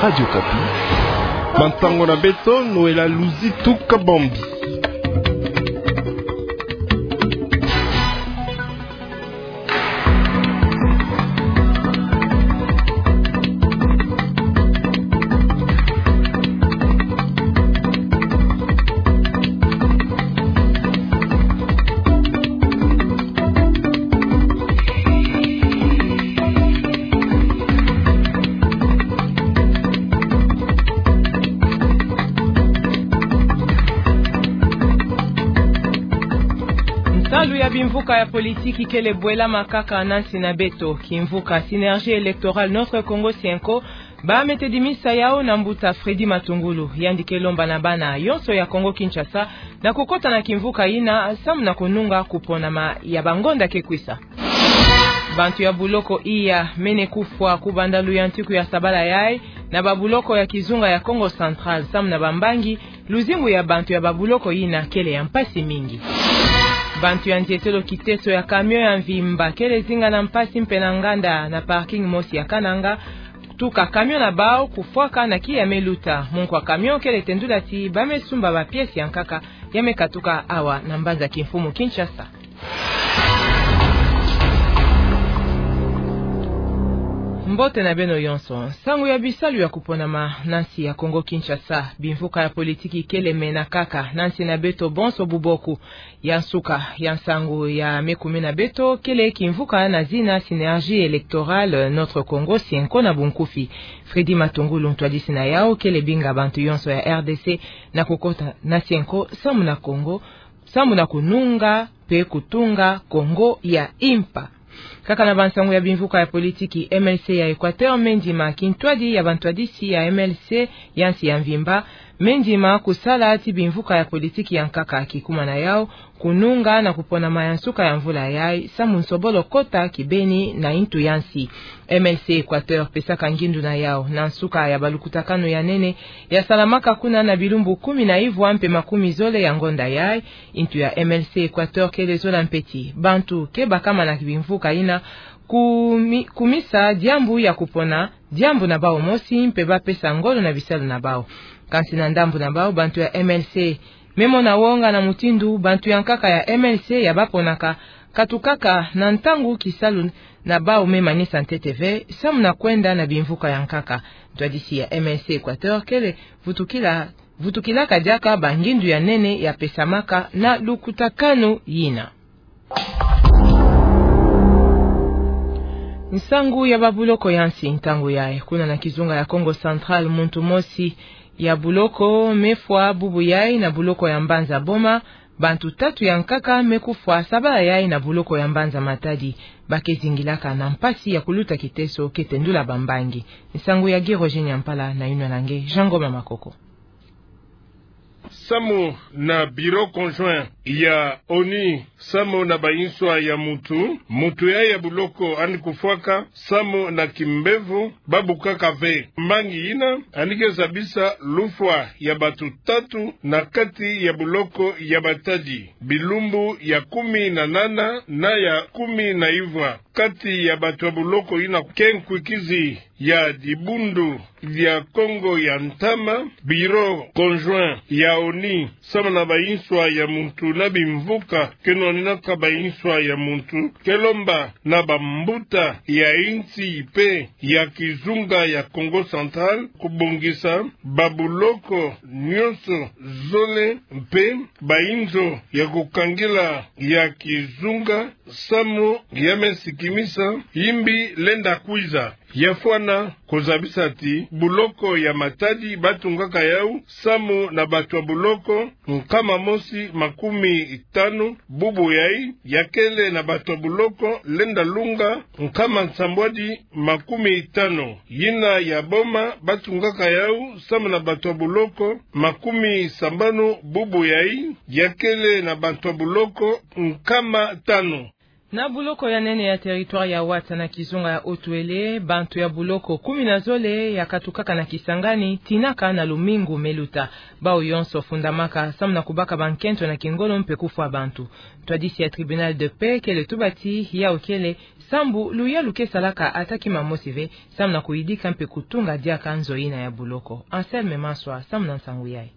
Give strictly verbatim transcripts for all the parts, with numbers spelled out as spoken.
Radio Okapi. Bansango na beto, Noëlla Luzitu Kabambi. Nsalu ya bimvuka ya politiki kele bwelama kaka na nsi na beto. Kimvuka Synergie Électorale Notre Kongo Sienko, ba me tedimisa yau na mbuta Freddy Matungulu, yandi ke lomba na bana yonso ya Kongo Kinshasa na kukota na kimvuka yina samu na kununga kuponama ya bangonda ke kwisa. Bantu ya buloko iya mene kufwa kubanda luyantiku ya sabala yayi na babuloko ya kizunga ya Kongo Central samu na bambangi, luzingu ya bantu ya babuloko yina kele ya mpasi mingi. Bantu ya nzietelo kiteso ya camion ya mvimba kele zinga na mpasi mpe na nganda na parking mosi ya Kananga, tuka camion na bau kufwaka na kiya me luta. Munku wa camion kele tendula ti ba me sumba ba pièces ya nkaka ya me katuka awa na mbanza kimfumu Kinshasa. Mbote na beno yonso. Nsangu ya bisalu ya kuponama na nsi ya Kongo Kinshasa. Bimvuka ya politiki kele mena kaka na nsi na beto bonso buboku. Ya nsuka ya nsangu ya me kumina beto kele kimvuka na zina Synergie Électorale Notre Kongo Sienko na bunkufi. Freddy Matungulu, ntwadisi na yau, kele binga bantu yonso ya R D C na kukota na Sienko samu na Kongo, samu na kununga mpe kutunga Kongo ya impa. Kaka na bansangu ya bimvuka ya politiki, M L C ya Équateur me ndima kintwadi ya bantwadisi ya M L C ya nsi ya mvimba, me ndima kusala ti bimvuka ya politiki ya nkaka kikuma na yau kununga na kuponama ya nsuka ya mvula yayi samu nsobolo kota kibeni na ntu ya nsi. M L C Équateur pesaka ngindu na yau na nsuka ya balukutakanu ya nene ya salamaka kuna na bilumbu kumi na ivwa mpe makumi zole ya ngonda yayi, ntu ya M L C Équateur kele zola mpe ti bantu ke bakama na bimvuka yina kumi-, kumisa diambu ya kupona diambu na bau mosi mpe ba pesa ngolo na bisalu na bau. Kansi na ndambu na bau, bantu ya M L C me mona wonga na mutindu bantu ya nkaka ya M L C ya baponaka katukaka na ntangu kisalu na bau me manisa ntete ve samu na kwenda na bimvuka ya nkaka. Ntwadisi ya M L C Équateur kele vutukila, vutukilaka diaka bangindu ya nene ya pesamaka na lukutakanu yina. Nsangu ya babuloko ya nsi ntangu yayi. Kuna na kizunga ya Kongo Central, muntu mosi ya buloko me fwa bubu yayi na buloko ya mbanza Boma, bantu tatu ya nkaka me kufwa sabala yayi na buloko ya mbanza Matadi. Ba ke zingilaka na mpasi ya kuluta kiteso, ke tendula bambangi. Nsangu ya Guy Roger Nyampala na yinwa na nge Jean Ngoma Makoko. Samu na Bureau Conjoint ya ONU samu na bayinswa ya muntu, muntu yayi ya buloko yandi kufwaka samu na kimbevo, ba bukaka ve mbangi yina yandi ke zabisa lufwa ya bantu tatu na kati ya buloko ya Matadi, bilumbu ya kumi na nana na ya kumi na ivwa. Kati ya bantu ya buloko yina ke nkwikizi ya dibundu dia Kongo ya ntama. Bureau Conjoint ya ONU samu na bayinswa ya muntu na bimvuka ke nwaninaka bayinswa ya muntu ke lomba na bambuta ya insi mpe ya kizunga ya Kongo Central kubongisa babuloko nyonso zole mpe bayinzo ya kukangila ya kizunga samu ya me sikimisa yimbi lenda kwiza. Ya fwana kuzabisa ti buloko ya Matadi ba tungaka yau samu na bantu ya buloko nkama mosi makumi tanu bubu yayi, ya kele na bantu ya buloko lenda lunga nkama nsambwadi makumi tanu. Yina ya Boma ba tungaka yau samu na bantu ya buloko makumi sambanu bubu yayi, ya kele na bantu ya buloko nkama tanu. Na boloko ya nene ya territoire ya Ouattara na kizunga ya Haut-Uélé, bantu ya boloko kumi na zole ya katukaka na Kisangani, tinaka na lumingu me luta. Bawu yonso fundamaka samu na kubaka bankento na kingolo mpe kufwa bantu. Ntwadisi ya tribunal de paix kele tuba ti yawu kele sambu luyalu ke salaka ata kima mosi ve, samu na kuyidika mpe kutunga diaka nzo yina ya boloko. Anselme Maswa, samu na nsangu yayi.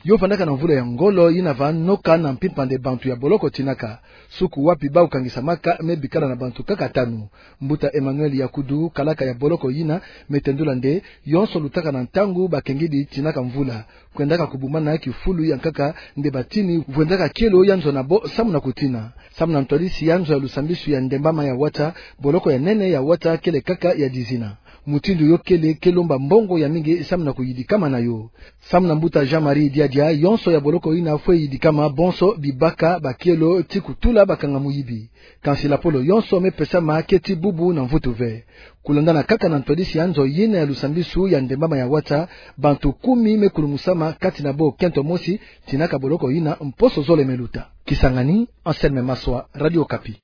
Yo vandaka na mvula ya ngolo yina va noka na mpimpa nde bantu ya boloko tinaka. Suku wapi bawu kangisamaka me bikala na bantu kaka tanu. Mbuta Emmanuel Yakudu, kalaka ya boloko yina, me tendula nde yonso lutaka na ntangu bakengidi tinaka mvula. Kwendaka kubumbana kifulu ya nkaka nde batini, vwendaka kielo ya nzo na bo samu na kutina. Samu na ntwadisi ya nzo ya lusambisu ya Ndembama ya Ouattara, boloko ya nene ya Ouattara kele kaka ya dizina. Mutindu yo kele ke lomba mbongo ya mingi samu na kuyidikama na yo. Samu na mbuta Jean-Marie Diadia, yonso ya boloko yina fwe yidikama, bonso bibaka bakielo ti kutula bakanga muyibi. Kansi lapolo yonso me pesama ke ti bubu na mvutu ve. Kulandana kaka na ntwadisi ya nzo yina ya lusambisu ya Ndembama ya Ouattara, bantu kumi me kulungusama, kati na bo kento mosi tinaka boloko yina mposo zole me luta. Kisangani, Anselme Maswa, Radio Okapi.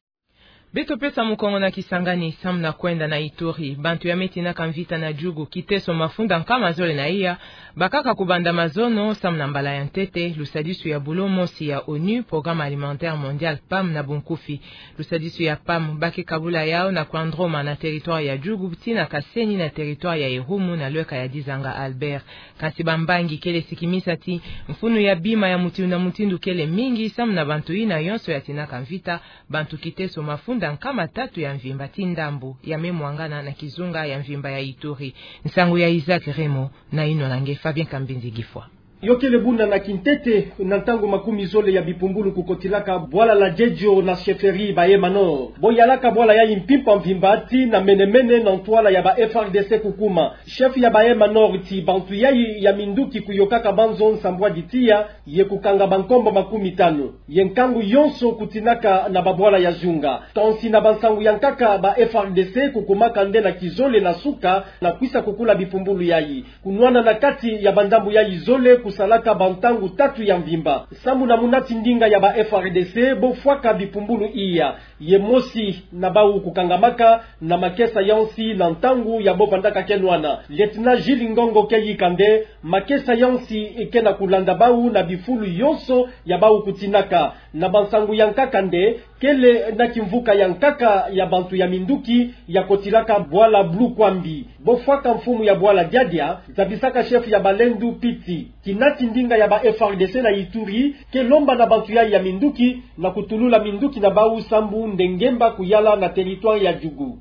Beto pesa mukongo na Kisangani samu na kwenda na Ituri. Bantu ya me tinaka mvita na Djugu, Kiteso, mafunda nkama zole na iya, bakaka kubanda mazono samu na mbala ya ntete lusadisu ya bulo mosi ya onu, Programme Alimentaire Mondial, pam na bunkufi. Lusadisu ya pam ba ke kabula yawu na Kouandroma na territoire ya Djugu, tii na Kaseni na territoire ya Irumu na lweka ya Dizanga Albert. Kansi bambangi kele sikimisa ti mfunu ya bima ya mutindu na mutindu kele mingi samu na bantu yina yonso ya tinaka mvita, bantu Kiteso, mafunda nkama tatu ya mvimba ti ndambu ya me mwangana na kizunga ya mvimba ya Ituri. Nsangu ya Isaac Remo, na yinwa na nge Fabien Kambinzi Gifwa. Yo kele buna na kintete, na ntangu makumi zole ya bipumbulu kukotilaka bwala la Djedjo na chefferie Bahema Nord. Bo yalaka bwala yayi mpimpa mvimba tii na mene-mene na ntwala ya ba F R D C kukuma. Chef ya Bahema Nord tii bantu yayi ya minduki kuyokaka banzo nsambwadi tiya, ye kukanga bankombo makumi tanu. Ye nkangu yonso kutinaka na babwala ya zunga. Tonsi na bansangu ya nkaka, ba F R D C kukumaka nde na kizole na suka na kwisa kukula bipumbulu yayi. Kunwana na kati ya bandambu yayi zole kusalaka bantangu tatu ya mvimba. Samu na muna tindinga ya ba F R D C, bo fwaka bipumbulu iya. Ye mosi na bawu kukangamaka na makesa ya nsi na ntangu ya bo vandaka ke nwana. Lieutenant Gilles Ngongo ke yika nde makesa ya nsi ke na kulanda bawu na bifulu yonso ya bawu kutinaka. Na bansangu ya nkaka nde, kele na kimvuka ya nkaka ya bantu ya minduki ya kotilaka bwala Blue Kwambi. Bo fwaka mfumu ya bwala Diadia, zabisaka chef ya balendu Piti. Kina tindinga ya ba F R D C na Ituri ke lomba na bantu yayi ya minduki na kutulula minduki na bawu sambu nde ngemba kuyala na territoire ya Djugu.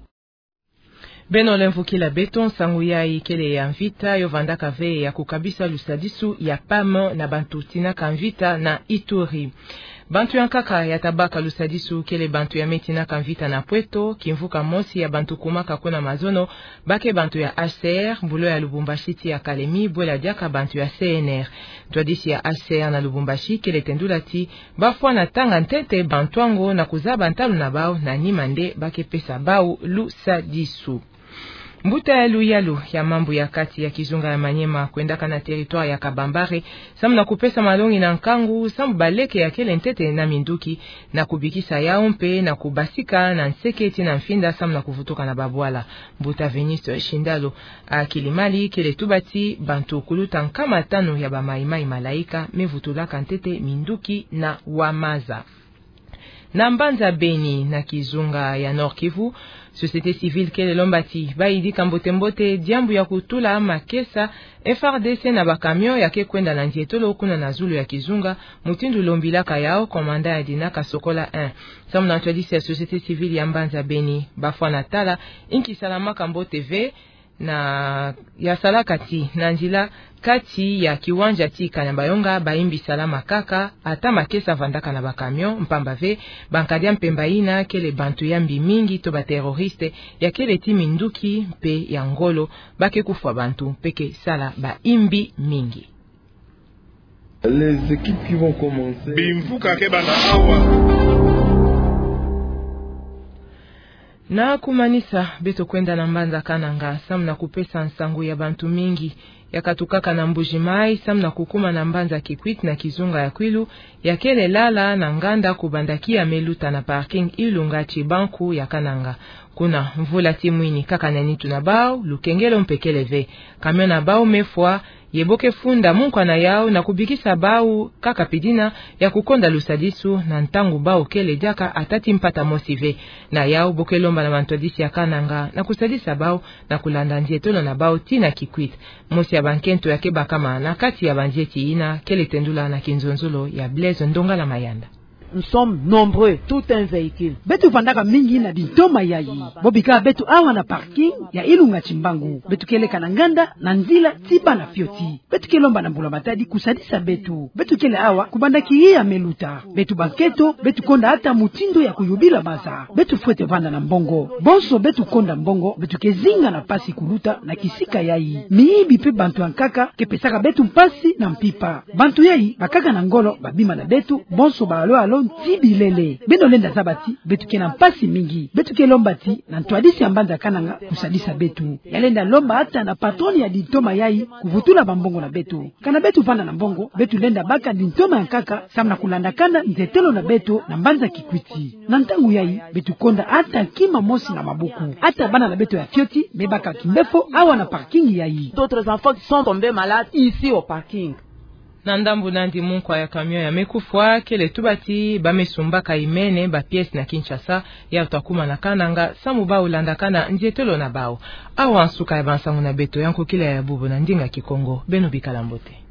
Beno lemvukila beto, nsangu yayi kele ya mvita yo vandaka ve ya kukabisa lusadisu ya pam na bantu tinaka mvita na Ituri. Bantu ya nkaka ya tabaka lusadisu kele bantu ya me tinaka mvita na Pweto, kimvuka mosi ya bantu kumaka kuna mazono, ba ke bantu ya H C R, bulo ya Lubumbashi tii ya Kalemi, bwela diaka bantu ya C N R. Ntwadisi ya H C R na Lubumbashi kele tendula ti ba fwana tanga ntete bantu yango na kuzaba ntalu na bawu, na nima nde ba ke pesa bawu lusadisu. Mbuta ya luyalu ya mambu ya kati ya kizunga ya Maniema kwendaka na territoire ya Kabambare, samu na kupesa malongi na nkangu, samu baleke ya kele ntete na minduki, na kubikisa yawu mpe na kubasika na nseke tii na mfinda, samu na kuvutuka na babwala. Mbuta Veniste Shindalo a Kilimali kele tuba ti bantu kuluta nkama tanu ya ba Maï-Maï Malaika me vutulaka ntete minduki na Ouamaza. Na mbanza Beni na kizunga ya Nord-Kivu, société civile kele lomba ti ba yidika mbote-mbote diambu ya kutula makesa F R D C na ba camion ya ke kwenda na ndietolo kuna na zulu ya kizunga, mutindu lombilaka yawu commandant ya dinaka Sokola un. Samu na ntwadisi ya société civile ya mbanza Beni, ba fwana tala inki salamaka mbote ve na ya salaka ti na nzila kati ya kiwanja tii Kanyabayonga ba imbi salama kaka, ata makesa vandaka na ba camion, mpamba ve bankadia mpemba yina kele bantu ya mbi mingi to ba terroriste, ya kele ti minduki mpe ya ngolo, ba ke kufwa bantu mpe ke sala ba imbi mingi. Les équipes qui vont commencer. Bimvuka ke banda awa. Na kumanisa, beto kwenda na mbanza Kananga, samu na kupesa nsangu ya bantu mingi yakatukaka na Mbuji-Mayi, samu na kukuma na mbanza Kikwit na kizunga ya kwilu, ya kele lala na nganda kubanda kia me luta na parking Ilunga ti banku ya Kananga. Kuna mvula ti mwini kaka na nitu na bau, lukengelo mpe kele ve. Camion na bau me fwa, ye bo ke funda munkwa na yau na kubikisa bau kaka pidina ya kukonda lusadisu na ntangu bau kele diaka ata ti mpata mosi ve. Na yau bo ke lomba na bantwadisi ya Kananga na kusadisa bau na kulanda nzietolo na bau ti na Kikwit. Mosi ya bankento ya ke bakama na kati ya banzieti yina kele tendula na kinzonzolo ya Blaise Ndongala Mayanda. Nous sommes nombreux, tout un véhicule. Beto vandaka mingi na dintoma yayi. Bo bika beto awa na parking ya Ilunga ti mbangu. Beto ke leka na nganda na nzila ti bana fioti. Beto ke lomba na mbula-matadi kusadisa beto. Beto kele awa kubanda kia me luta. Beto bankento, beto konda ata mutindu ya kuyubila baza. Beto fwete vanda na mbongo. Bonso beto konda mbongo, beto ke zinga na mpasi kuluta na kisika yayi. Miyibi mpe bantu ya nkaka ke pesaka beto mpasi na mpimpa. Bantu yayi bakaka na ngolo babima na beto, bonso ba alo-alo nti bilele. Beno lenda zaba ti beto ke na mpasi mingi. Beto ke lomba ti na ntwadisi ya mbanza Kananga kusadisa beto. Ya lenda lomba ata na patron ya dintoma yayi kuvutula bambongo na beto. Kana beto vanda na mbongo, beto lenda baka dintoma ya nkaka samu na kulanda kanda nzietolo na beto na mbanza Kikwit. Na ntangu yayi, beto konda ata kima mosi na mabuku. Ata bana na beto ya fioti me baka kimbefo awa na parking yayi. D'autres enfants qui sont tombés malades ici au parking. Na ndambu nandi munkwa ya camion ya me kufwa, kele tuba ti ba me sumbaka imene ba pièces na Kinshasa, ya uta kuma na Kananga, samu bau landa kanda nzietolo na bau. Awa nsuka ya bansangu na beto ya nkokila ya bubu na ndinga Kikongo. Beno bikala mbote.